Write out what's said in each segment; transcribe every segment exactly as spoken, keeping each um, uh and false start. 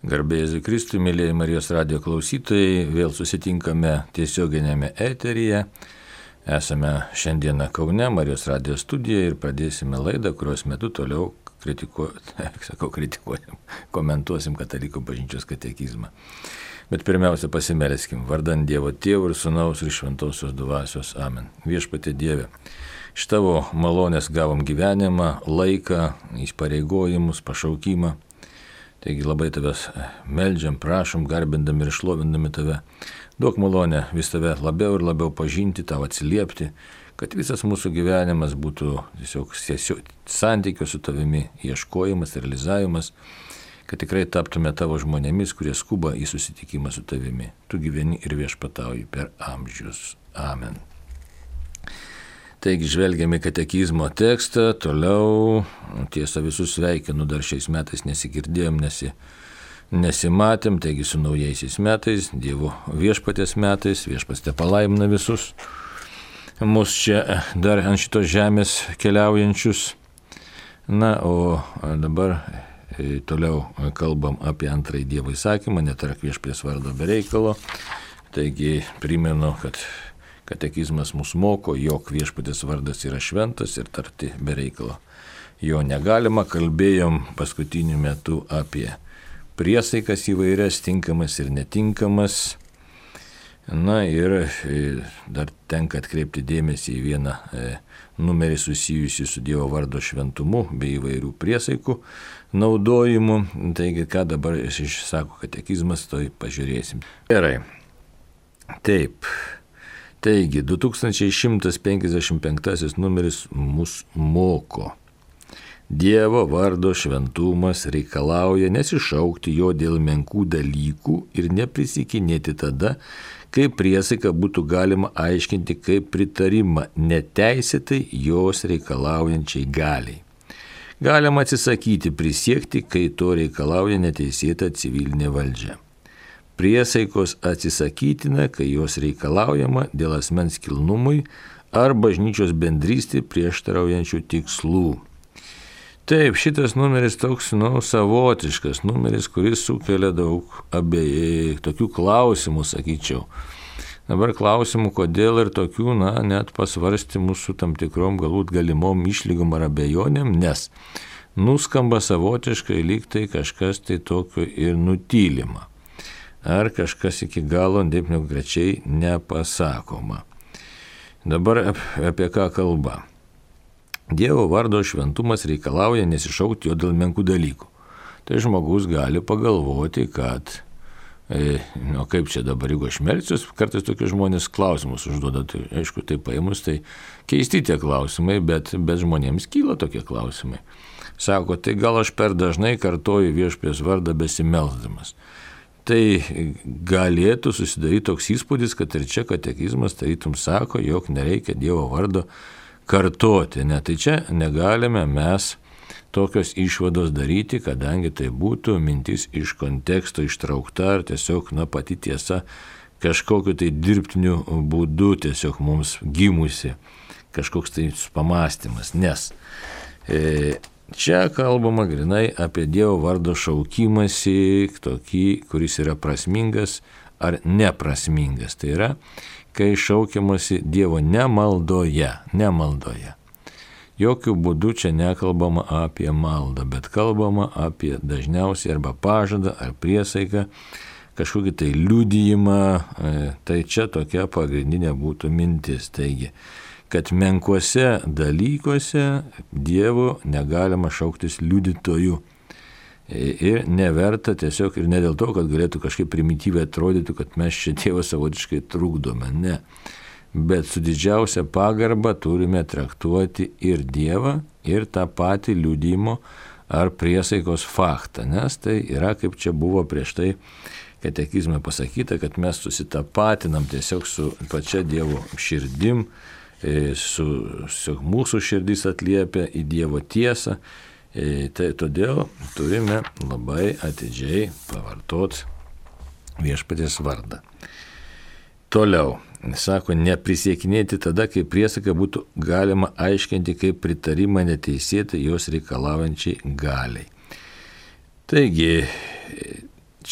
Garbė Jėzui Kristui, mėlyje Marijos radijo klausytojai, vėl susitinkame tiesioginėme eteryje. Esame šiandieną Kaune, Marijos radijo studijoje ir pradėsime laidą, kurios metu toliau kritikuojam, sakau, kritikuojam, komentuosim Katalikų bažnyčios katekizmą. Bet pirmiausia pasimelskime, vardan Dievo Tėvo ir Sūnaus ir Šventosios Dvasios. Amen. Viešpatie Dieve, iš Tavo malonės gavom gyvenimą, laiką, įpareigojimus, pašaukimą. Taigi labai Tavęs meldžiam, prašom, garbindami ir šlovindami Tave. Duok malonę vis Tave labiau ir labiau pažinti, Tau atsiliepti, kad visas mūsų gyvenimas būtų tiesiog santykio su Tavimi ieškojimas, realizavimas, kad tikrai taptume Tavo žmonėmis, kurie skuba į susitikimą su Tavimi. Tu gyveni ir viešpatauji per amžius. Amen. Taigi žvelgiame katekizmo tekstą, toliau, tiesa visus sveikinu, dar šiais metais nesigirdėjom, nesi, nesimatėm, taigi su naujaisiais metais, Dievo viešpatės metais, viešpats te palaimina visus mus čia dar ant šitos žemės keliaujančius. Na, o dabar toliau kalbam apie antrąjį Dievo įsakymą, netark viešpaties vardo be reikalo. Taigi primenu, kad katekizmas mus moko, jog viešpaties vardas yra šventas ir tarti be reikalo jo negalima. Kalbėjom paskutiniu metu apie priesaikas įvairias, tinkamas ir netinkamas. Na ir dar tenka atkreipti dėmesį į vieną numerį susijusį su Dievo vardo šventumu bei įvairių priesaikų naudojimu. Taigi, ką dabar išsako katekizmas, tai pažiūrėsim. Gerai. Taip. Taigi, du tūkstančiai šimtas penkiasdešimt penktasis numeris mus moko. Dievo vardo šventumas reikalauja nesišaukti jo dėl menkų dalykų ir neprisikinėti tada, kai priesaiką būtų galima aiškinti kaip pritarimą neteisėtai jos reikalaujančiai galiai. Galima atsisakyti prisiekti, kai to reikalauja neteisėta civilinė valdžia. Priesaikos atsisakytina, kai jos reikalaujama dėl asmens kilnumui ar bažnyčios bendrystė prieštaraujančių tikslų. Taip, šitas numeris toks, nu, savotiškas numeris, kuris sukelia daug abejai, tokių klausimų, sakyčiau. Dabar klausimų, kodėl ir tokių, na, net pasvarstymų su tam tikrom galbūt galimom išlygom ar abejonėm, nes nuskamba savotiškai lyg tai kažkas tai tokio ir nutylima. Ar kažkas iki galo taip konkrečiai nepasakoma. Dabar apie ką kalba. Dievo vardo šventumas reikalauja nesišaukti jo dėl menkų dalykų. Tai žmogus gali pagalvoti, kad, e, nu kaip čia dabar, jeigu aš melsiuos, kartais tokie žmonės klausimus užduoda, tai aišku, tai paėmus, tai keisti tie klausimai, bet, bet žmonėms kyla tokie klausimai. Sako, tai gal aš per dažnai kartoju viešpaties vardą besimelsdamas. Tai galėtų susidaryti toks įspūdis, kad ir čia katekizmas tarytum sako, jog nereikia Dievo vardo kartoti. Ne, tai čia negalime mes tokios išvados daryti, kadangi tai būtų mintis iš konteksto ištraukta ar tiesiog, na, pati tiesa kažkokiu tai dirbtiniu būdu tiesiog mums gimusi, kažkoks tai pamąstymas. Nes e, čia kalbama grinai apie Dievo vardo šaukimąsi, tokį, kuris yra prasmingas ar neprasmingas. Tai yra, kai šaukiamasi Dievo nemaldoje, nemaldoje. Jokių būdų čia nekalbama apie maldą, bet kalbama apie dažniausiai arba pažadą ar priesaiką, kažkokį tai liudijimą. Tai čia tokia pagrindinė būtų mintis. Taigi, kad menkuose dalykuose Dievo negalima šauktis liudytojų. Ir neverta tiesiog, ir ne dėl to, kad galėtų kažkaip primityviai atrodyti, kad mes čia Dievą savotiškai trukdome. Ne. Bet su didžiausia pagarba turime traktuoti ir Dievą, ir tą patį liudijimo ar priesaikos faktą. Nes tai yra, kaip čia buvo prieš tai katekizme pasakyta, kad mes susitapatinam tiesiog su pačia Dievo širdim, Su, su mūsų širdis atliepia į Dievo tiesą, e, tai todėl turime labai atidžiai pavartoti viešpaties vardą. Toliau, sako, neprisiekinėti tada, kai priesaką būtų galima aiškinti kaip pritarimą neteisėtai jos reikalaujančiai galiai. Taigi,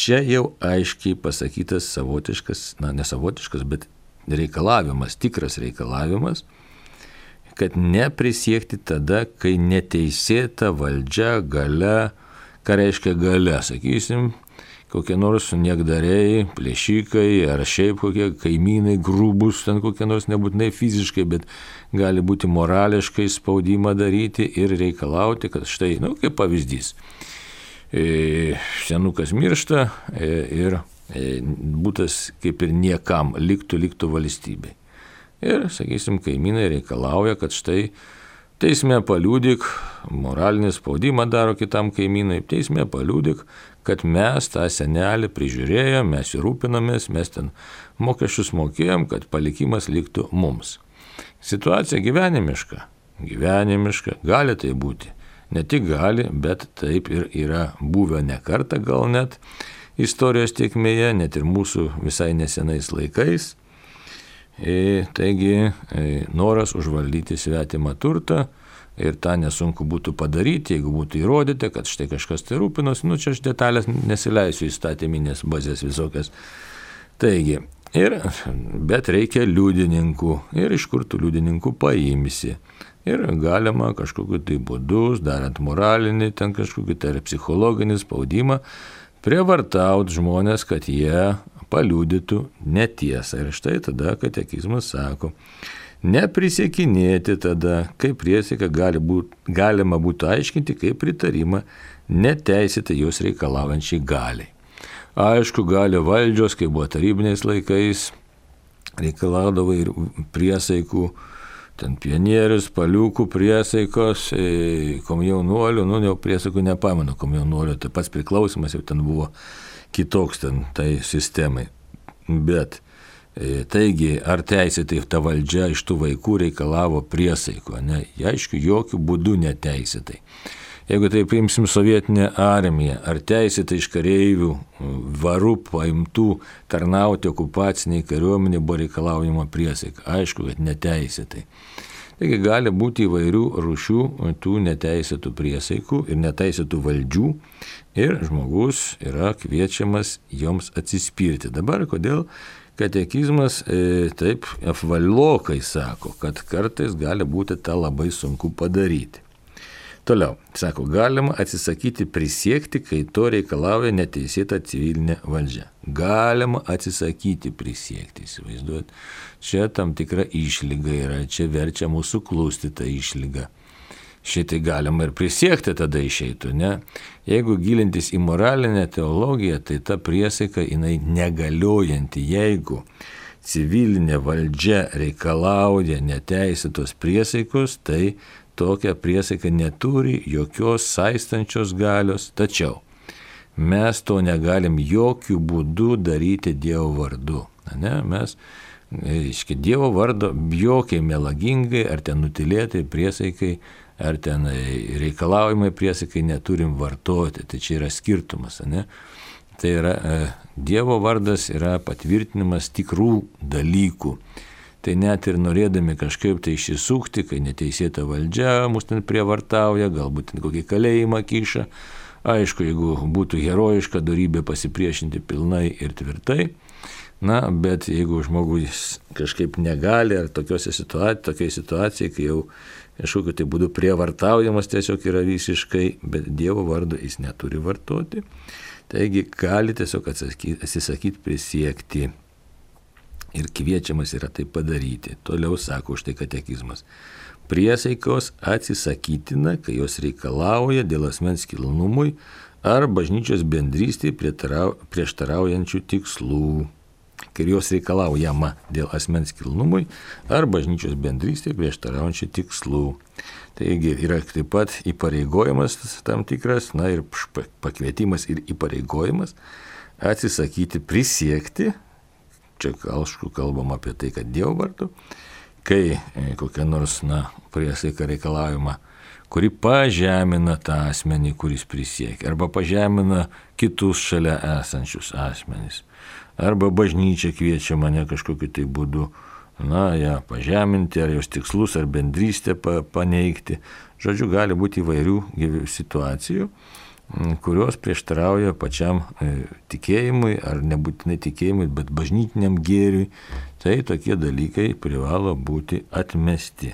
čia jau aiškiai pasakytas savotiškas, na nesavotiškas, bet reikalavimas, tikras reikalavimas, kad neprisiekti tada, kai neteisėta valdžia, galia, ką reiškia galia, sakysim, kokie nors niekdariai, plėšikai ar šiaip kokie kaimynai grūbus, ten kokie nors nebūtinai fiziškai, bet gali būti morališkai spaudimą daryti ir reikalauti, kad štai, nu, kaip pavyzdys, e, senukas miršta e, ir e, būtas kaip ir niekam liktų, liktų valstybei. Ir, sakysim, kaimynai reikalauja, kad štai teisme paliudyk, moralinį spaudimą daro kitam kaimynai, teisme paliudyk, kad mes tą senelį prižiūrėjom, mes jį rūpinomės, mes ten mokesčius mokėjom, kad palikimas liktų mums. Situacija gyvenimiška, gyvenimiška, gali tai būti. Ne tik gali, bet taip ir yra buvę ne kartą gal net istorijos tėkmėje, net ir mūsų visai nesenais laikais. E, taigi e, noras užvaldyti svetimą turtą ir tą nesunku būtų padaryti, jeigu būtų įrodyta, kad štai kažkas tai rūpinosi, nu čia aš detalės nesileisiu įstatyminės bazės visokias. Taigi, ir, bet reikia liudininkų ir iš kur tų liudininkų paimsi. Ir galima kažkokiu tai būdus, darant moralinį, ten kažkokį tai psichologinį spaudimą, prievartauti žmonės, kad jie paliudytų netiesą. Ir štai tada katekizmas sako, neprisiekinėti tada, kaip priesaika gali būt, galima būtų aiškinti kaip pritarimą neteisėtai jos reikalaujančiai galiai. Aišku, gali valdžios, kai buvo tarybiniais laikais, reikalaudavo ir priesaikų, ten pionierius, paliukų priesaikos, komjaunuolių, nu jau priesaikų nepamenu, komjaunuolių, tai pats priklausimas jau ten buvo kitoks ten tai sistemai. Bet e, taigi, ar teisėtai ta valdžia iš tų vaikų reikalavo priesaiko? Ne, aišku, jokių būdų neteisėtai. Jeigu tai paimsim sovietinę armiją, ar teisėtai iš kareivių varų paimtų tarnauti okupaciniai kariuomenė buvo reikalaujama priesaika? Aišku, kad neteisėtai. Taigi gali būti įvairių rūšių tų neteisėtų priesaikų ir neteisėtų valdžių ir žmogus yra kviečiamas joms atsispirti. Dabar kodėl katekizmas e, taip apvalokai sako, kad kartais gali būti tą labai sunku padaryti. Toliau, sako, galima atsisakyti prisiekti, kai to reikalauja neteisėta civilinė valdžia. Galima atsisakyti prisiekti, įsivaizduot. Čia tam tikra išlyga yra, čia verčia mūsų klusti tą išlygą. Šitai galima ir prisiekti tada išeitų, ne? Jeigu gilintis į moralinę teologiją, tai ta priesaika jinai negaliojanti, jeigu civilinė valdžia reikalauja neteisėtos priesaikos, tai tokia priesaika neturi jokios saistančios galios, tačiau mes to negalim jokių būdų daryti Dievo vardu. Ne? Mes, iški, Dievo vardo jokiai melagingai, ar ten nutilėtai priesaikai, ar ten reikalaujimai priesaikai neturim vartoti. Tai čia yra skirtumas. Ne? Tai yra, Dievo vardas yra patvirtinimas tikrų dalykų. Tai net ir norėdami kažkaip tai išsisukti, kai neteisėta valdžia mus ten prievartauja, galbūt ten kokį kalėjimą kiša. Aišku, jeigu būtų herojiška dorybė pasipriešinti pilnai ir tvirtai, na, bet jeigu žmogus kažkaip negali, ar tokiose situacijose, tokiai situacijai, kai jau kažkokiu tai būdu prievartaujamas tiesiog yra visiškai, bet Dievo vardo jis neturi vartoti, taigi gali tiesiog atsisakyti prisiekti. Ir kviečiamas yra tai padaryti. Toliau sako štai katekizmas. Priesaikos atsisakytina, kai jos reikalauja dėl asmens kilnumui ar bažnyčios bendrystėje prieštaraujančių tikslų. Kai jos reikalaujama dėl asmens kilnumui ar bažnyčios bendrystėje prieštaraujančių tikslų. Taigi yra taip pat įpareigojimas tam tikras, na ir pakvietimas ir įpareigojimas atsisakyti prisiekti. Čia aišku kalbam apie tai, kad Dievo vardu, kai kokia nors na, priesaika reikalaujama, kuri pažemina tą asmenį, kuris prisiekia, arba pažemina kitus šalia esančius asmenys, arba bažnyčia kviečia mane kažkokiu tai būdu, na, ją pažeminti, ar jos tikslus, ar bendrystę paneigti. Žodžiu, gali būti įvairių situacijų. kurios prieštarauja pačiam tikėjimui, ar nebūtinai tikėjimui, bet bažnytiniam gėriui, tai tokie dalykai privalo būti atmesti.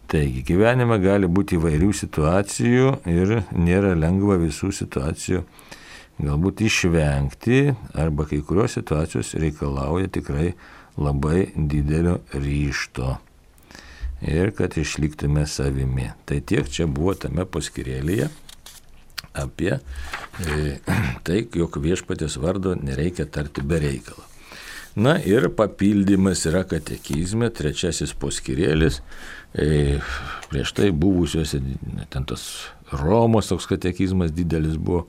Taigi, gyvenime gali būti įvairių situacijų ir nėra lengva visų situacijų galbūt išvengti, arba kai kurios situacijos reikalauja tikrai labai didelio ryžto ir kad išliktume savimi. Tai tiek čia buvo tame paskyrėlyje apie e, tai, jog viešpaties vardo nereikia tarti be reikalo. Na ir papildymas yra katekizme, trečiasis paskyrėlis, e, prieš tai buvusiuose, ten tas Romos toks katekizmas didelis buvo,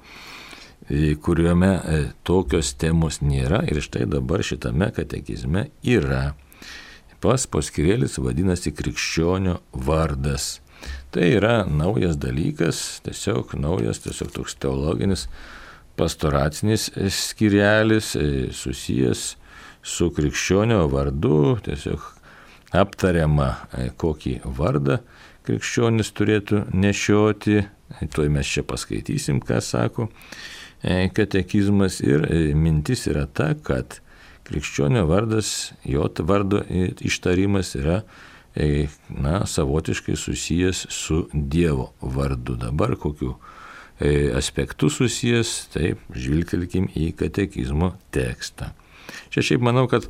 e, kuriuome e, tokios temos nėra, ir štai dabar šitame katekizme yra. Pas paskyrėlis vadinasi krikščionio vardas. Tai yra naujas dalykas, tiesiog naujas, tiesiog toks teologinis pastoracinis skyrelis susijęs su krikščionio vardu, tiesiog aptariama, kokį vardą krikščionis turėtų nešioti. Tuoj mes čia paskaitysim, ką sako katekizmas, ir mintis yra ta, kad krikščionio vardas, jo vardo ištarimas yra na, savotiškai susijęs su Dievo vardu. Dabar kokiu aspektu susijęs, taip, žvilgtelkim į katekizmo tekstą. Čia šiaip manau, kad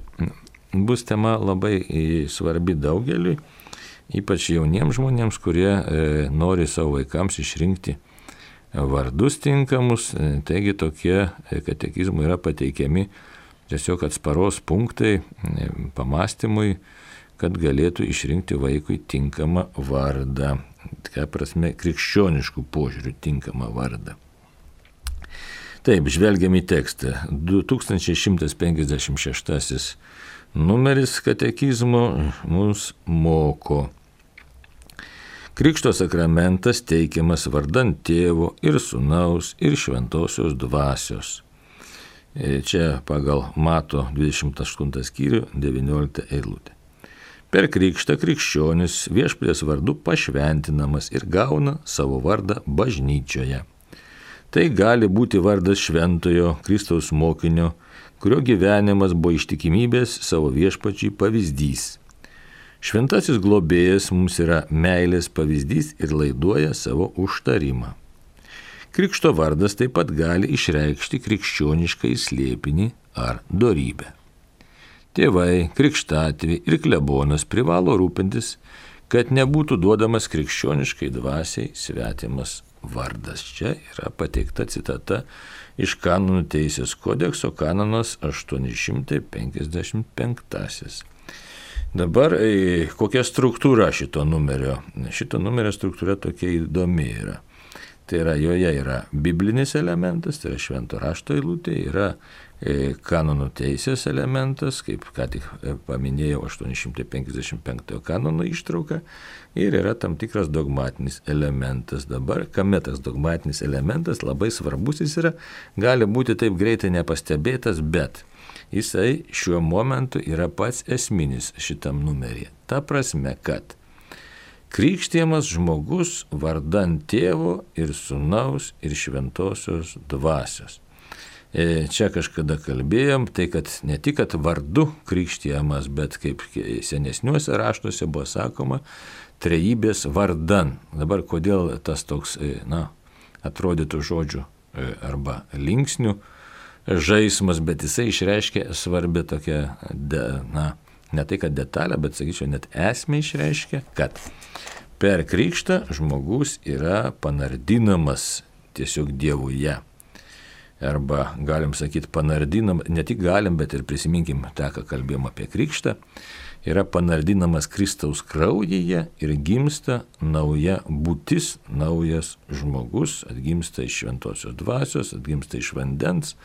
bus tema labai svarbi daugeliui, ypač jauniems žmonėms, kurie nori savo vaikams išrinkti vardus tinkamus. Taigi tokie katekizmai yra pateikiami tiesiog atsparos punktai pamastymui, kad galėtų išrinkti vaikui tinkamą vardą. Ką prasme, krikščioniškų požiūrių tinkamą vardą. Taip, žvelgiam į tekstą. du tūkstančiai šimtas penkiasdešimt šeštasis numeris katekizmo mums moko. Krikšto sakramentas teikiamas vardant Tėvo ir Sūnaus ir Šventosios Dvasios. Čia pagal Mato dvidešimt aštuntą skyrių devynioliktą eilutę. Per krikštą krikščionis viešpaties vardu pašventinamas ir gauna savo vardą bažnyčioje. Tai gali būti vardas šventojo Kristaus mokinio, kurio gyvenimas buvo ištikimybės savo viešpačiai pavyzdys. Šventasis globėjas mums yra meilės pavyzdys ir laiduoja savo užtarimą. Krikšto vardas taip pat gali išreikšti krikščionišką slėpinį ar dorybę. Tėvai, krikštatėviai ir klebonas privalo rūpintis, kad nebūtų duodamas krikščioniškai dvasiai svetimas vardas. Čia yra pateikta citata iš Kanonų teisės kodekso, kanonas aštuoni šimtai penkiasdešimt penktasis. Dabar kokia struktūra šito numerio? Šito numerio struktūra tokia įdomi yra. Tai yra, joje yra biblinis elementas, tai yra švento rašto eilutė, yra kanonų teisės elementas, kaip ką tik paminėjau, aštuoni šimtai penkiasdešimt penktojo kanono ištrauka, ir yra tam tikras dogmatinis elementas. Dabar, kame tas dogmatinis elementas, labai svarbus jis yra, gali būti taip greitai nepastebėtas, bet jisai šiuo momentu yra pats esminis šitam numeryje. Ta prasme, kad krikštijamas žmogus vardant Tėvo ir Sūnaus ir Šventosios Dvasios. Čia kažkada kalbėjom, tai kad ne tik kad vardu krikštijamas, bet kaip senesniuose raštuose buvo sakoma, trejybės vardan. Dabar kodėl tas toks, na, atrodytų žodžių arba linksnių žaismas, bet jisai išreiškia svarbę tokią, na, ne tai kad detalę, bet sakyčiau, net esmę išreiškia, kad per krikštą žmogus yra panardinamas tiesiog Dievuje. Arba galim sakyti panardinam, ne tik galim, bet ir prisiminkim tą, ką kalbėjom apie krikštą, yra panardinamas Kristaus kraujyje ir gimsta nauja būtis, naujas žmogus, atgimsta iš šventosios dvasios, atgimsta iš vandens,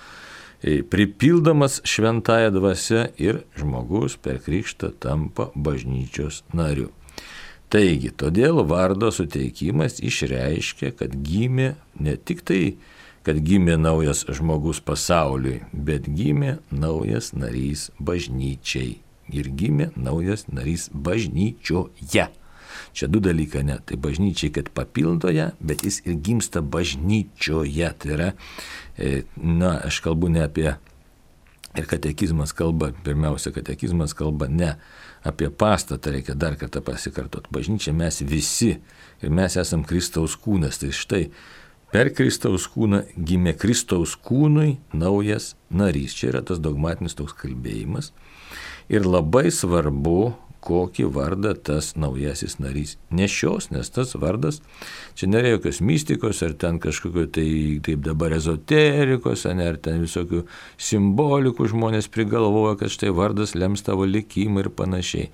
pripildamas šventąją dvasią ir žmogus per krikštą tampa bažnyčios nariu. Taigi, todėl vardo suteikimas išreiškia, kad gimė ne tik tai, kad gimė naujas žmogus pasauliui, bet gimė naujas narys bažnyčiai. Ir gimė naujas narys bažnyčioje. Čia du dalykai, ne. Tai bažnyčiai, kad papildo ją, bet jis ir gimsta bažnyčioje. Tai yra, na, aš kalbu ne apie, ir katekizmas kalba, pirmiausia, katekizmas kalba ne apie pastatą, reikia dar kartą pasikartoti. Bažnyčia mes visi ir mes esam Kristaus kūnas. Tai štai, per Kristaus kūną gimė Kristaus kūnui naujas narys. Čia yra tas dogmatinis toks kalbėjimas. Ir labai svarbu, kokį vardą tas naujasis narys nešios, nes tas vardas, čia nėra jokios mistikos, ar ten kažkokio tai, taip dabar ezoterikos, ar ten visokių simbolikų žmonės prigalvoja, kad štai vardas lems tavo likimą ir panašiai.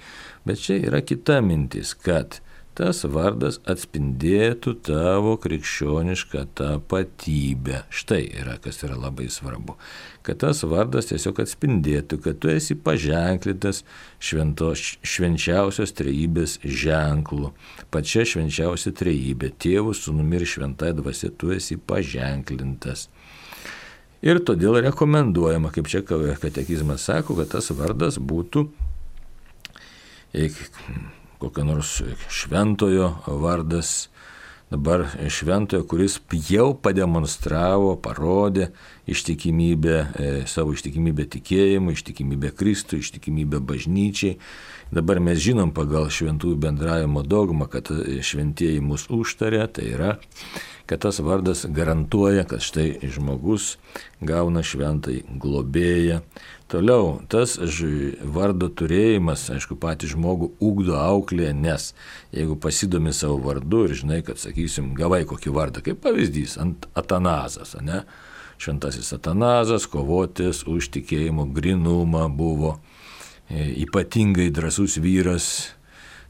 Bet čia yra kita mintis, kad tas vardas atspindėtų tavo krikščionišką tapatybę. Štai yra, kas yra labai svarbu. Kad tas vardas tiesiog atspindėtų, kad tu esi paženklintas šventos, švenčiausios trejybės ženklu. Pačia švenčiausia trejybė, Tėvu, Sūnumi ir Šventai Dvasia, tu esi paženklintas. Ir todėl rekomenduojama, kaip čia katekizmas sako, kad tas vardas būtų kokio nors šventojo vardas, dabar šventojo, kuris jau pademonstravo, parodė ištikimybę, e, savo ištikimybę tikėjimui, ištikimybę Kristui, ištikimybę bažnyčiai. Dabar mes žinom pagal šventųjų bendravimo dogmą, kad šventieji mus užtarė, tai yra, kad tas vardas garantuoja, kad štai žmogus gauna šventai globėją. Toliau, tas vardo turėjimas, aišku, patį žmogų ugdo auklėje, nes jeigu pasidomi savo vardu ir žinai, kad, sakysim, gavai kokį vardą, kaip pavyzdys, Atanazas, ne? Šventasis Atanazas, kovotis už tikėjimo grynumą, buvo ypatingai drąsus vyras.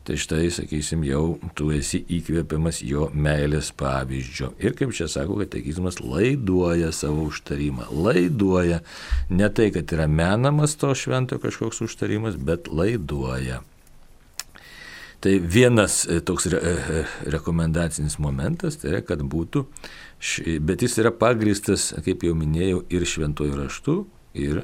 Tai štai, sakysim, jau tu esi įkvėpiamas jo meilės pavyzdžio. Ir kaip čia sako, katekizmas laiduoja savo užtarimą. Laiduoja. Ne tai, kad yra menamas to švento kažkoks užtarimas, bet laiduoja. Tai vienas toks re, rekomendacinis momentas, tai yra, kad būtų, bet jis yra pagrįstas, kaip jau minėjau, ir šventuoju raštu, ir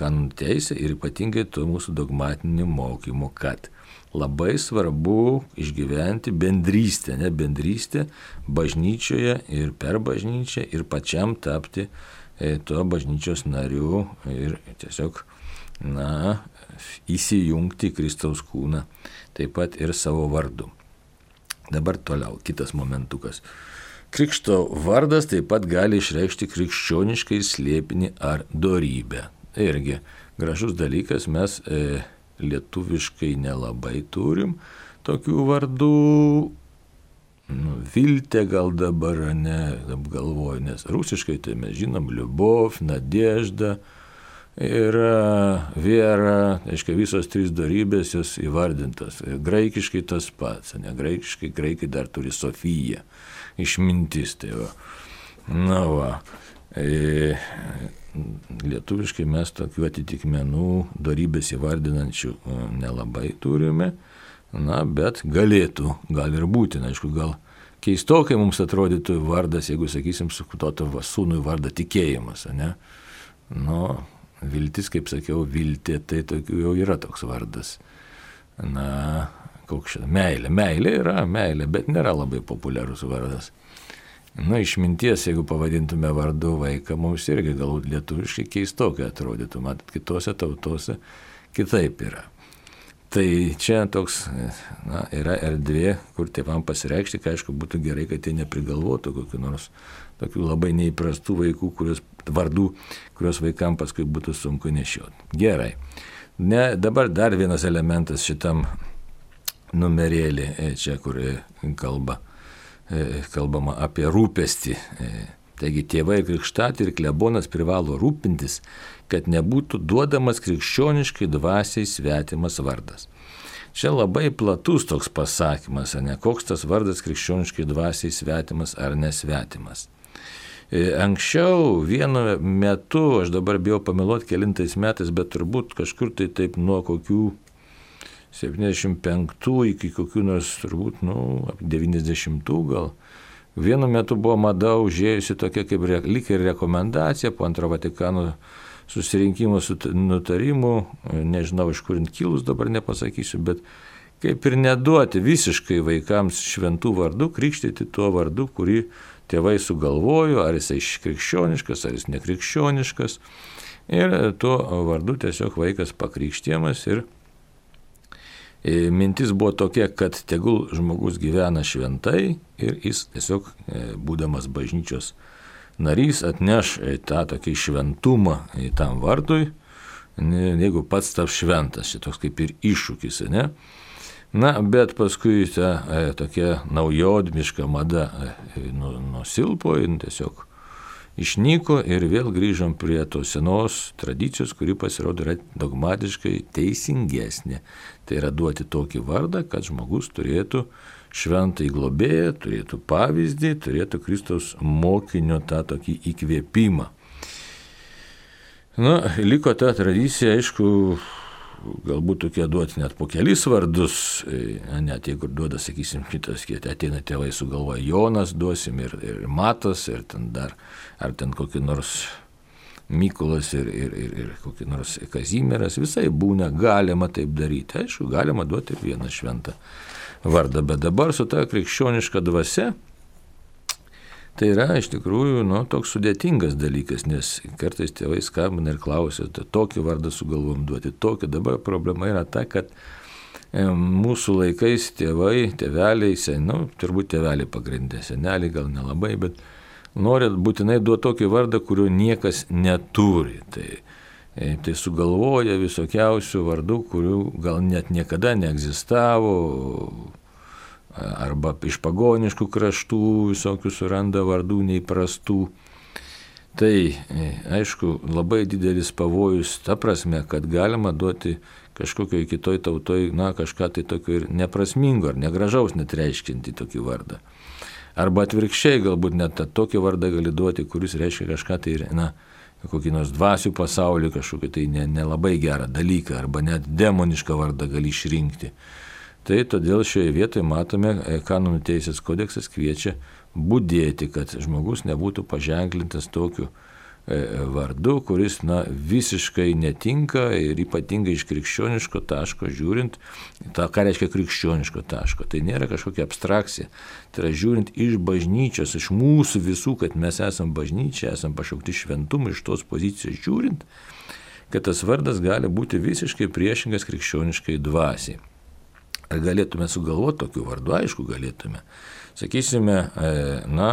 kanonų teisė, ir ypatingai to mūsų dogmatiniu mokymu, kad labai svarbu išgyventi bendrystę, ne bendrystę bažnyčioje ir per bažnyčią ir pačiam tapti e, to bažnyčios nariu ir tiesiog, na, įsijungti į Kristaus kūną, taip pat ir savo vardu. Dabar toliau, kitas momentukas. Krikšto vardas taip pat gali išreikšti krikščioniškai slėpinį ar dorybę. Tai irgi gražus dalykas, mes e, lietuviškai nelabai turim tokių vardų, nu, Viltė gal dabar, ne, apgalvoju, nes rusiškai tai mes žinom Liubov, Nadežda ir Viera, aiškiai visos trys dorybės jos įvardintos. Graikiškai tas pats, ne, graikiškai graikai dar turi Sofiją, išmintis, tai va. Na va. E, lietuviškai mes tokių atitikmenų dorybės įvardinančių nelabai turime, na, bet galėtų, gal ir būti, na, aišku, gal keistokai mums atrodytų vardas, jeigu, sakysim, sukutotų sūnui vardą tikėjimas, ne? Nu, viltis, kaip sakiau, viltė, tai tokių jau yra toks vardas. Na, koks šitą, meilė, meilė yra meilė, bet nėra labai populiarus vardas. Na, išminties, jeigu pavadintume vardu vaiką, mums irgi galbūt lietuviškai keistokai atrodytų, matot, kitose tautose kitaip yra. Tai čia toks, na, yra erdvė, kur tėvam pasireikšti, kad aišku būtų gerai, kad jie neprigalvotų kokių nors tokių labai neįprastų vaikų, kurios, vardų, kurios vaikam paskui būtų sunku nešioti. Gerai. Ne, dabar dar vienas elementas šitam numerėlį, čia kur kalba. kalbama apie rūpestį. Taigi tėvai ir krikštatė ir klebonas privalo rūpintis, kad nebūtų duodamas krikščioniškai dvasiai svetimas vardas. Čia labai platus toks pasakymas, ne koks tas vardas krikščioniškai dvasiai svetimas ar nesvetimas. Anksčiau vienu metu, aš dabar bijau pameluoti kelintais metais, bet turbūt kažkur tai taip nuo kokių septyniasdešimt penktų iki kokių nors turbūt, nu, devyniasdešimtų gal. Vienu metu buvo mada užėjusi tokia kaip re, lyg ir rekomendacija po antro Vatikano susirinkimo nutarimų, nežinau iš kur kilus dabar nepasakysiu, bet kaip ir neduoti visiškai vaikams šventų vardų, krikštyti tuo vardu, kurį tėvai sugalvojo, ar jisai krikščioniškas, ar jis nekrikščioniškas. Ir tuo vardu tiesiog vaikas pakrikštijamas ir mintis buvo tokia, kad tegul žmogus gyvena šventai ir jis tiesiog, būdamas bažnyčios narys, atneš tą tokį šventumą tam vardui, jeigu pats taps šventas, šitoks kaip ir iššūkis, ne? Na, bet paskui ta e, tokia naujodmiška mada e, nusilpo ir tiesiog išnyko ir vėl grįžom prie tos senos tradicijos, kuri pasirodo yra dogmatiškai teisingesnė. Tai yra duoti tokį vardą, kad žmogus turėtų šventąjį globėją, turėtų pavyzdį, turėtų Kristaus mokinio tą tokį įkvėpimą. Na, liko ta tradicija, aišku, galbūt tokie duoti net po kelis vardus, net jeigu duoda, sakysim, kitas, ateina tėvai sugalvoja Jonas, duosim ir, ir Matas, ir ten dar, ar ten kokį nors Mykolas ir, ir, ir, ir kokį nors Kazimieras, visai būna, galima taip daryti. Aišku, galima duoti ir vieną šventą vardą, bet dabar su ta krikščioniška dvasia, tai yra iš tikrųjų nu, toks sudėtingas dalykas, nes kartais tėvai skambina ir klausia, tokį vardą sugalvom duoti, tokį. Dabar problema yra ta, kad e, mūsų laikais tėvai, tėveliai, sen, nu, turbūt tėveliai pagrindė, seneliai gal nelabai, bet nori būtinai duoti tokį vardą, kurio niekas neturi. Tai, e, tai sugalvoja visokiausių vardų, kurių gal net niekada neegzistavo, arba iš pagoniškų kraštų visokių suranda vardų neįprastų. Tai, aišku, labai didelis pavojus ta prasme, kad galima duoti kažkokioj kitoj tautoj, na, kažką tai tokio ir neprasmingo, ar negražaus net reiškinti tokį vardą. Arba atvirkščiai, galbūt net tokį vardą gali duoti, kuris reiškia kažką tai ir, na, kokį nors dvasių pasaulį, kažkokį tai nelabai ne gerą dalyką, arba net demonišką vardą gali išrinkti. Tai todėl šioje vietoje matome, kanonų teisės kodeksas kviečia budėti, kad žmogus nebūtų paženklintas tokiu vardu, kuris na, visiškai netinka ir ypatingai iš krikščioniško taško žiūrint, ta, ką reiškia krikščioniško taško, tai nėra kažkokia abstrakcija, tai yra žiūrint iš bažnyčios, iš mūsų visų, kad mes esam bažnyčia, esam pašaukti šventumą, iš tos pozicijos žiūrint, kad tas vardas gali būti visiškai priešingas krikščioniškai dvasiai. Ar galėtume sugalvoti tokių vardų? Aišku, galėtume. Sakysime, na,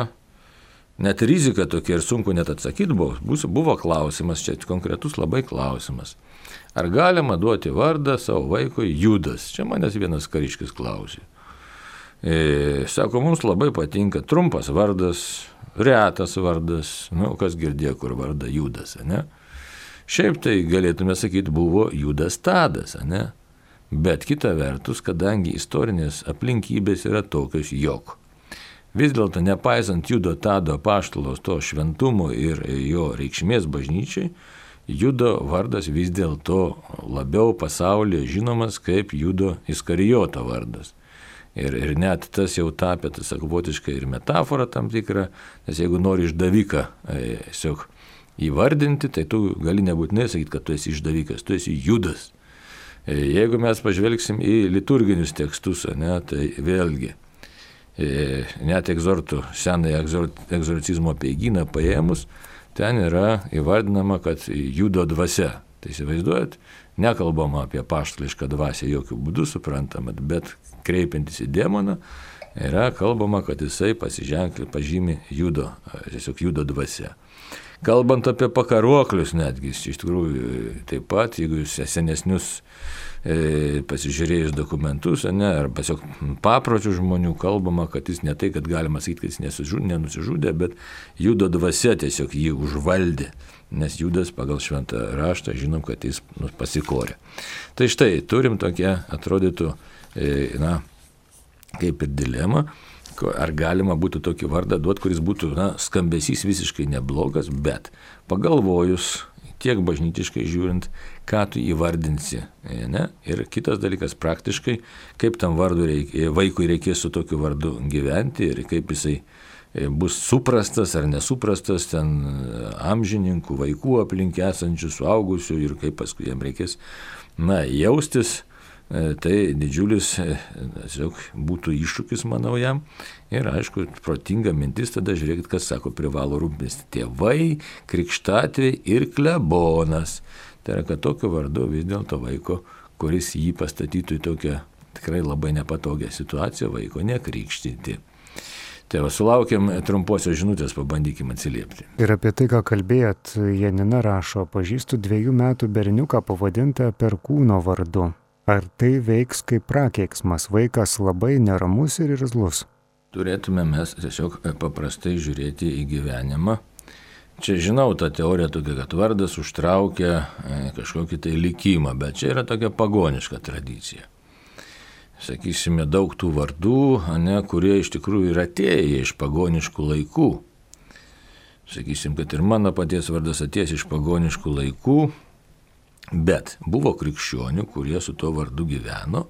net rizika tokia ir sunku net atsakyti buvo. Buvo klausimas, čia konkretus labai klausimas. Ar galima duoti vardą savo vaikui Judas? Čia manęs vienas kariškis klausė. E, sako, mums labai patinka trumpas vardas, retas vardas, nu, kas girdėjo, kur vardą Judas, ne? Šiaip tai galėtume sakyti, buvo Judas Tadas, ne? Bet kita vertus, kadangi istorinės aplinkybės yra tokios, jog vis dėlto nepaisant Judo Tado apaštalos to šventumo ir jo reikšmės bažnyčiai, Judo vardas vis dėlto labiau pasaulyje žinomas kaip Judo Iskarijoto vardas. Ir, ir net tas jau tapė, tas savotiškai ir metafora tam tikra, nes jeigu nori išdaviką tiesiog įvardinti, tai tu gali nebūtinai sakyti, kad tu esi išdavikas, tu esi Judas. Jeigu mes pažvelgsim į liturginius tekstus, ne, tai vėlgi, net egzortų, senąją egzorcizmo apeigyną paėmus, ten yra įvardinama, kad Judo dvasia. Tai įsivaizduojat, nekalbama apie apaštališką dvasią jokių būdų, suprantama, bet kreipiantis į demoną, yra kalbama, kad jisai pasiženkli, pažymi Judo, tiesiog Judo dvasia. Kalbant apie pakaruoklius netgi, iš tikrųjų taip pat, jeigu jūs senesnius e, pasižiūrėjus dokumentus, ne, ar tiesiog papročių žmonių kalbama, kad jis ne tai, kad galima sakyti, kad jis nesužudė, nenusižudė, bet Judo dvasia tiesiog jį užvaldė, nes Judas pagal šventą raštą žinom, kad jis nu, pasikorė. Tai štai, turim tokią, atrodytų, e, na, kaip ir dilemą, ar galima būtų tokį vardą duoti, kuris būtų, na, skambesys visiškai neblogas, bet pagalvojus, tiek bažnytiškai žiūrint, ką tu įvardinsi. Ne? Ir kitas dalykas, praktiškai, kaip tam vardu reik, vaikui reikės su tokiu vardu gyventi ir kaip jisai bus suprastas ar nesuprastas ten amžininkų, vaikų aplink esančių, suaugusių ir kaip paskui jam reikės, na, jaustis tai didžiulis tiesiog būtų iššūkis, manau, jam. Ir aišku, protinga mintis tada, žiūrėkit, kas sako, privalo rūpintis tėvai, krikštatėviai ir klebonas. Tai yra, kad tokiu vardu vis dėlto vaiko, kuris jį pastatytų į tokią tikrai labai nepatogią situaciją, vaiko nekrikštyti. Tai va, sulaukėm trumposios žinutės, pabandykim atsiliepti. Ir apie tai, ką kalbėjot, Janina rašo, pažįstu dviejų metų berniuką pavadintą Perkūno vardu. Ar tai veiks kaip prakeiksmas, vaikas labai neramus ir irzlus? Turėtume mes tiesiog paprastai žiūrėti į gyvenimą. Čia žinau tą teoriją tokia, kad vardas užtraukia kažkokį tai likimą, bet čia yra tokia pagoniška tradicija. Sakysime, daug tų vardų, ne, kurie iš tikrųjų yra atėję iš pagoniškų laikų. Sakysim, kad ir mano paties vardas atėjęs iš pagoniškų laikų, bet buvo krikščionių, kurie su tuo vardu gyveno,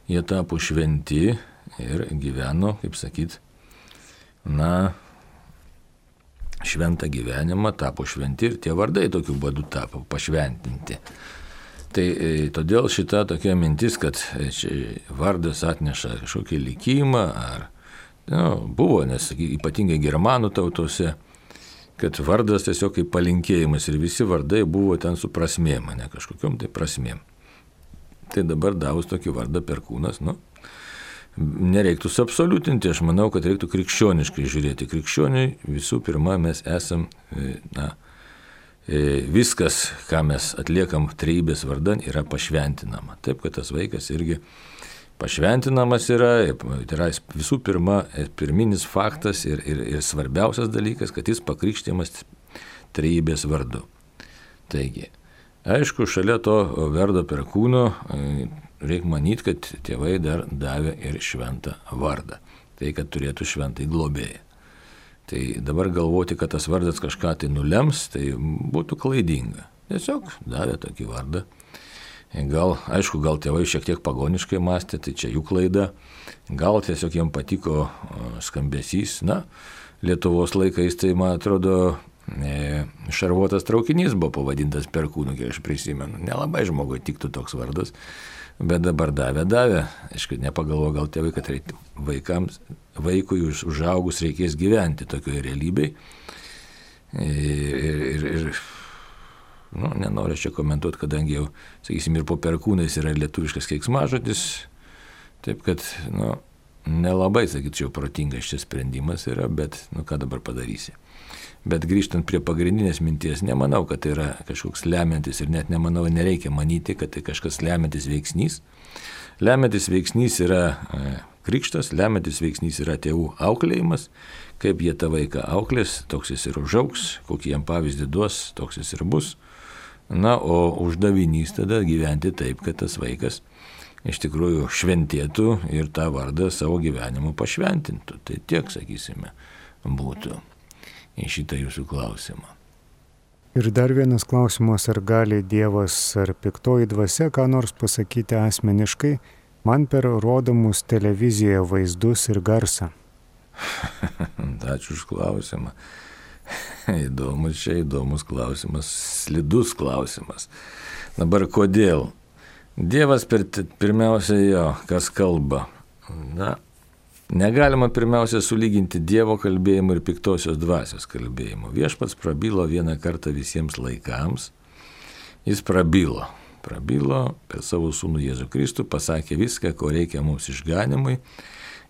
jie tapo šventi ir gyveno, kaip sakyt, na, šventą gyvenimą, tapo šventi ir tie vardai tokiu būdu tapo pašventinti. Tai e, todėl šita tokia mintis, kad čia vardas atneša kažkokį likimą, ar, nu, buvo, nes ypatingai germanų tautose, kad vardas tiesiog kaip palinkėjimas ir visi vardai buvo ten su prasmėm, ne kažkokiom tai prasmėm. Tai dabar davus tokį vardą Perkūnas, nu, nereiktų suabsoliutinti, aš manau, kad reiktų krikščioniškai žiūrėti. Krikščioniai visų pirma mes esam, na, viskas, ką mes atliekam trejybės vardan, yra pašventinama. Taip, kad tas vaikas irgi pašventinamas yra, tai yra visų pirma, pirminis faktas ir, ir, ir svarbiausias dalykas, kad jis pakrikštimas trejybės vardu. Taigi, aišku, šalia to vardo Perkūno reikia manyti, kad tėvai dar davė ir šventą vardą. Tai, kad turėtų šventąjį globėją. Tai dabar galvoti, kad tas vardas kažką tai nulems, tai būtų klaidinga. Tiesiog davė tokį vardą. Gal, aišku, gal tėvai šiek tiek pagoniškai mąstė, tai čia jų klaida. Gal tiesiog jiems patiko skambesys. Na, Lietuvos laikais, tai man atrodo, šarvuotas traukinys buvo pavadintas Perkūnu, kiek aš prisimenu. Nelabai žmogui tiktų toks vardas, bet dabar davė, davė. Aišku, nepagalvo gal tėvai, kad reikia vaikams, vaikui užaugus reikės gyventi tokioje realybėje. Ir, ir, ir nu, nenoriu čia komentuoti, kadangi jau, sakysim, ir po Perkūnais yra lietuviškas keiksmažodis, taip kad, nu, nelabai, sakyčiau, protingas šis sprendimas yra, bet, nu, ką dabar padarysi. Bet grįžtant prie pagrindinės minties, nemanau, kad tai yra kažkoks lemiantis ir net nemanau, nereikia manyti, kad tai kažkas lemiantis veiksnys. Lemiantis veiksnys yra e, krikštas, lemiantis veiksnys yra tėvų auklėjimas, kaip jie tą vaiką auklės, toks jis ir užaugs, kokį jam pavyzdį duos, toks jis ir bus. Na, o uždavinys tada gyventi taip, kad tas vaikas iš tikrųjų šventėtų ir tą vardą savo gyvenimu pašventintų. Tai tiek, sakysime, būtų į šitą jūsų klausimą. Ir dar vienas klausimas, ar gali Dievas ar piktoji dvasia ką nors pasakyti asmeniškai, man per rodomus televizijoje vaizdus ir garsą. Ačiū už klausimą. Įdomus čia, įdomus klausimas, slidus klausimas. Dabar kodėl? Dievas per, pirmiausia jo, kas kalba. Na, negalima pirmiausia sulyginti Dievo kalbėjimo ir piktosios dvasios kalbėjimo. Viešpats prabilo vieną kartą visiems laikams. Jis prabilo. Prabilo per savo sūnų Jėzų Kristų, pasakė viską, ko reikia mums išganimui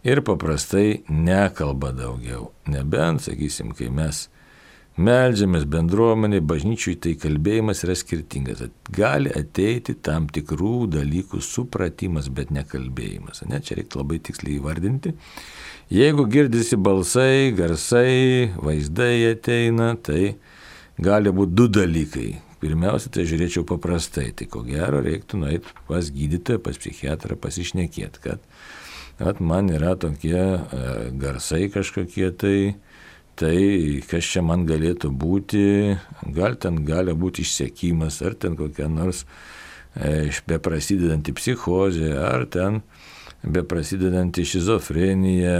ir paprastai nekalba daugiau. Nebent, sakysim, kai mes meldžiamės bendruomeniai, bažnyčiui, tai kalbėjimas yra skirtingas. Gali ateiti tam tikrų dalykų supratimas, bet nekalbėjimas. Ne? Čia reikia labai tiksliai įvardinti. Jeigu girdisi balsai, garsai, vaizdai ateina, tai gali būti du dalykai. Pirmiausia, tai žiūrėčiau paprastai. Tai ko gero reiktų nueiti pas gydytoją, pas psichiatrą, pasišnekėti, kad at, man yra tokie e, garsai kažkokie tai, tai kas čia man galėtų būti, gal ten gali būti išsekimas, ar ten kokia nors e, beprasidedanti psichozė, ar ten beprasidedanti šizofrenija,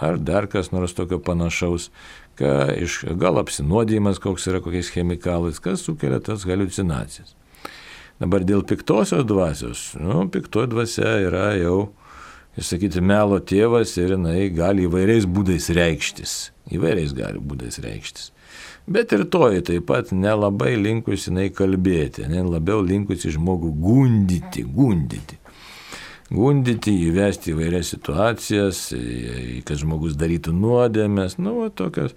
ar dar kas nors tokio panašaus, ka, iš, gal apsinuodijimas koks yra kokiais chemikalais, kas sukelia tas haliucinacijas. Dabar dėl piktosios dvasios, nu, piktoji dvasia yra jau, išsakyti, melo tėvas ir jinai gali įvairiais būdais reikštis. Įvairiais gali būdais reikštis. Bet ir toji taip pat nelabai linkusi jinai kalbėti, ne, labiau linkusi žmogų gundyti, gundyti. Gundyti, įvesti įvairias situacijas, kad žmogus darytų nuodėmes, nu, va, tokios.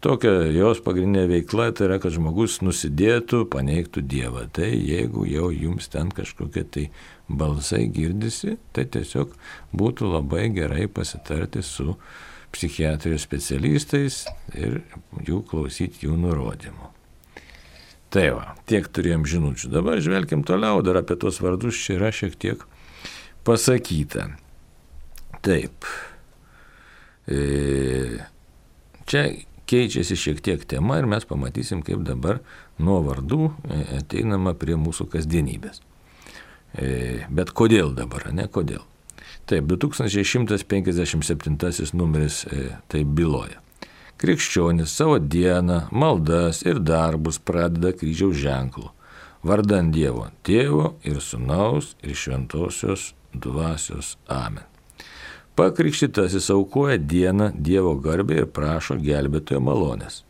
Tokia jos pagrindinė veikla tai yra, kad žmogus nusidėtų, paneigtų Dievą. Tai jeigu jau jums ten kažkokie tai balsai girdisi, tai tiesiog būtų labai gerai pasitarti su psichiatrijos specialistais ir jų klausyti jų nurodymų. Tai va, tiek turėjom žinučių. Dabar žvelkim toliau, dar apie tos vardus čia yra šiek tiek pasakyta. Taip. E, čia keičiasi šiek tiek tema ir mes pamatysim, kaip dabar nuo vardų ateinama prie mūsų kasdienybės. Bet kodėl dabar, ne kodėl? Taip, du tūkstančiai šimtas penkiasdešimt septintasis numeris tai byloja. Krikščionis savo dieną, maldas ir darbus pradeda kryžiaus ženklu, vardan Dievo Tėvo ir Sūnaus ir Šventosios Dvasios. Amen. Pakrikštytasis aukoja dieną Dievo garbę ir prašo gelbėtojo malonės,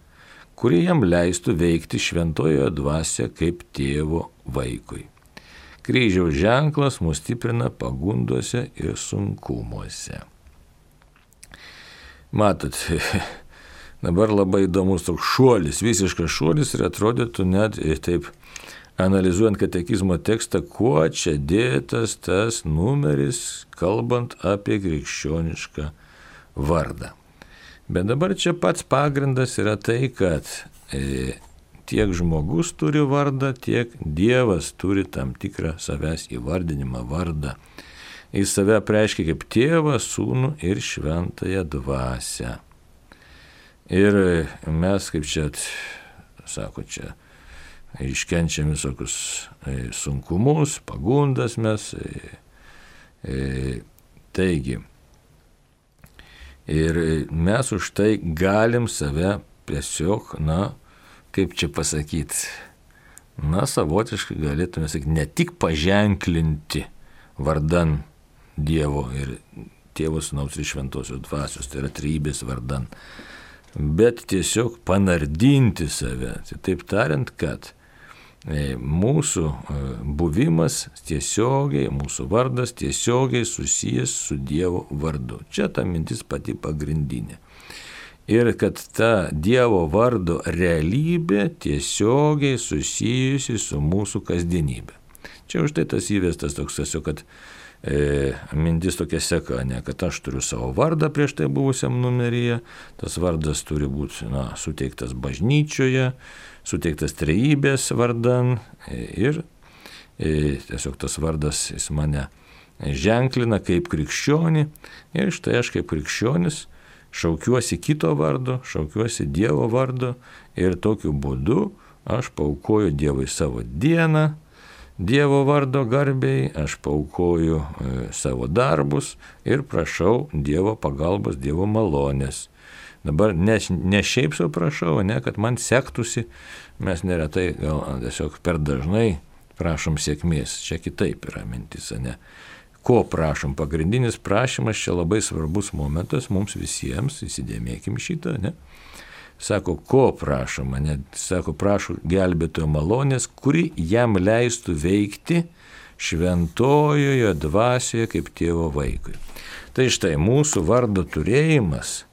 kuri jam leistų veikti šventojoje dvasioje kaip tėvo vaikui. Kryžiaus ženklas mus stiprina pagundose ir sunkumuose. Matot, dabar labai įdomus toks šuolis, visiškas šuolis ir atrodytų net taip, analizuojant katekizmo tekstą, kuo čia dėtas tas numeris, kalbant apie krikščionišką vardą. Bet dabar čia pats pagrindas yra tai, kad e, tiek žmogus turi vardą, tiek Dievas turi tam tikrą savęs įvardinimą vardą. Jis save apreiškia kaip tėvą, sūnų ir šventąją dvasią. Ir mes, kaip čia, sako čia, iškenčiam visokius sunkumus, pagundas mes. Taigi, ir mes už tai galim save tiesiog, na, kaip čia pasakyti, na, savotiškai galėtume sakyti, ne tik paženklinti vardan Dievo ir Tėvo, Sūnaus ir Šventosios Dvasios, tai yra trejybės vardan, bet tiesiog panardinti save. Taip tariant, kad mūsų buvimas tiesiogiai, mūsų vardas tiesiogiai susijęs su Dievo vardu. Čia ta mintis pati pagrindinė. Ir kad ta Dievo vardo realybė tiesiogiai susijusi su mūsų kasdienybė. Čia už tai tas įvestas toks tiesiog, kad e, mintis tokia seka, ne, kad aš turiu savo vardą prieš tai buvusiam numeryje, tas vardas turi būti, na, suteiktas bažnyčioje, suteiktas trejybės vardan ir e, tiesiog tas vardas jis mane ženklina kaip krikščionį ir štai aš kaip krikščionis šaukiuosi kito vardo, šaukiuosi Dievo vardo ir tokiu būdu aš paaukoju Dievui savo dieną, Dievo vardo garbei, aš paaukoju e, savo darbus ir prašau Dievo pagalbos, Dievo malonės. Dabar ne, ne šiaip sau prašau, ne, kad man sektųsi, mes neretai gal tiesiog per dažnai prašom sėkmės, čia kitaip yra mintis, ne. Ko prašom? Pagrindinis prašymas čia labai svarbus momentas mums visiems, įsidėmėkim šitą, ne. Sako, ko prašom, ne, sako, prašau gelbėtojo malonės, kuri jam leistų veikti šventojoje dvasioje kaip tėvo vaikui. Tai štai mūsų vardo turėjimas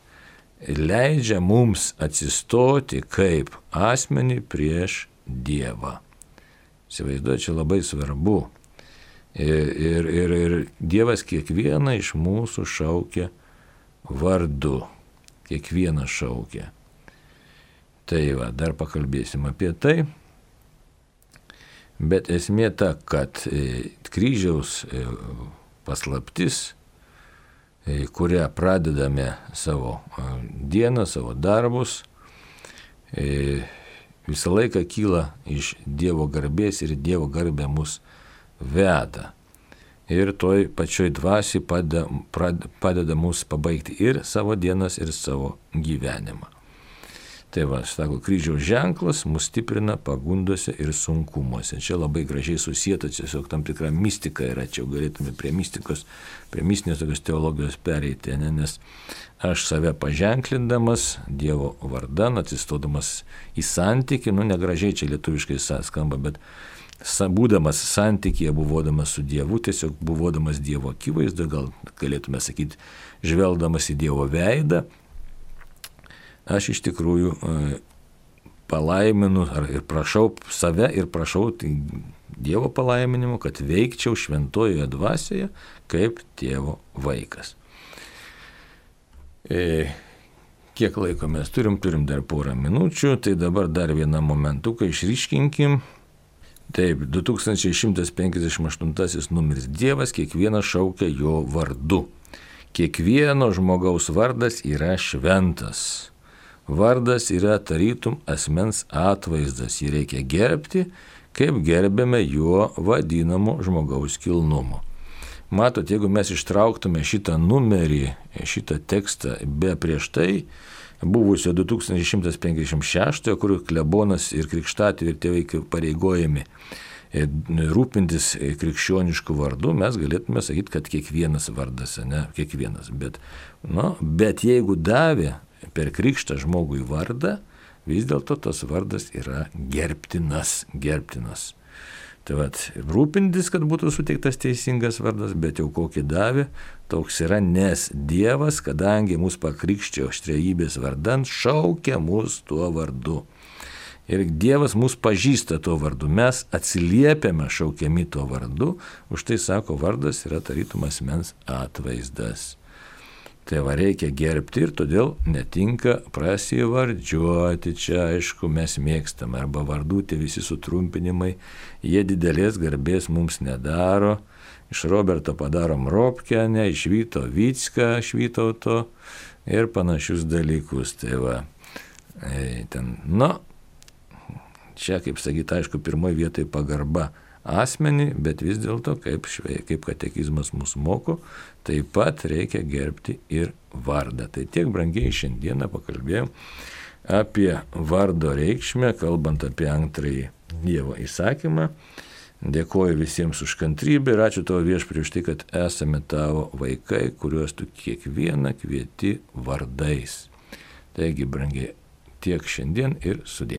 leidžia mums atsistoti kaip asmenį prieš Dievą. Įsivaizduoju, čia labai svarbu. Ir, ir, ir, ir Dievas kiekvieną iš mūsų šaukia vardu. Kiekvieną šaukia. Tai va, dar pakalbėsim apie tai. Bet esmė ta, kad kryžiaus paslaptis, kurią pradedame savo dieną, savo darbus, visą laiką kyla iš Dievo garbės ir Dievo garbė mus veda. Ir toj pačioj dvasiai padeda, padeda mus pabaigti ir savo dienas, ir savo gyvenimą. Tai va, sako, kryžiaus ženklas mus stiprina pagundose ir sunkumuose. Čia labai gražiai susijęta, tiesiog tam tikra mistika yra, čia galėtume prie mistikos, prie mistinės tokios teologijos pereiti, ne? Nes aš save paženklindamas Dievo vardan, atsistodamas į santykį, nu negražiai čia lietuviškai skamba, bet būdamas santykėje, buvodamas su Dievu, tiesiog buvodamas Dievo akivaizdoje, gal galėtume sakyti, žvelgdamas į Dievo veidą, aš iš tikrųjų palaiminu ir prašau save ir prašau tai Dievo palaiminimo, kad veikčiau šventojoje dvasioje kaip tėvo vaikas. E, kiek laiko mes turim, turim dar porą minučių, tai dabar dar vieną momentuką išryškinkim. Taip, du tūkstančiai šimtas penkiasdešimt aštuntasis numeris Dievas kiekvieną šaukia jo vardu. Kiekvieno žmogaus vardas yra šventas. Vardas yra tarytum asmens atvaizdas, jį reikia gerbti, kaip gerbėme jo vadinamo žmogaus kilnumo. Matot, jeigu mes ištrauktume šitą numerį, šitą tekstą be prieš tai buvusio du tūkstančiai šimtas penkiasdešimt šeštojo, kur klebonas ir krikštatėviai ir tėvai pareigojami rūpintis krikščioniškų vardų, mes galėtume sakyti, kad kiekvienas vardas, ne, kiekvienas. Bet, nu, bet jeigu davė per krikštą žmogui vardą, vis dėlto tas vardas yra gerbtinas, gerbtinas. Tai vat, rūpintis, kad būtų suteiktas teisingas vardas, bet jau kokį davė, toks yra, nes Dievas, kadangi mus pakrikštė trejybės vardan, šaukia mus tuo vardu. Ir Dievas mus pažįsta tuo vardu, mes atsiliepiame šaukiami tuo vardu, už tai sako, vardas yra tarytum asmens atvaizdas. Tai va reikia gerbti ir todėl netinka prasivardžiuoti, čia aišku mes mėgstame, arba vardų tie visi sutrumpinimai, jie didelės garbės mums nedaro, iš Roberto padarom Robkę, ne, iš Vyto Vycką, Švytauto ir panašius dalykus. Tai va, ten, nu, čia kaip sakyti, aišku, pirmoje vietoje pagarba asmenį, bet vis dėlto, kaip, kaip katekizmas mus moko, taip pat reikia gerbti ir vardą. Tai tiek, brangiai, šiandieną pakalbėjom apie vardo reikšmę, kalbant apie antrąjį Dievo įsakymą. Dėkoju visiems už kantrybę ir ačiū tavo Viešpatie už tai, kad esame tavo vaikai, kuriuos tu kiekvieną kvieti vardais. Taigi, brangiai, tiek šiandien ir sudie.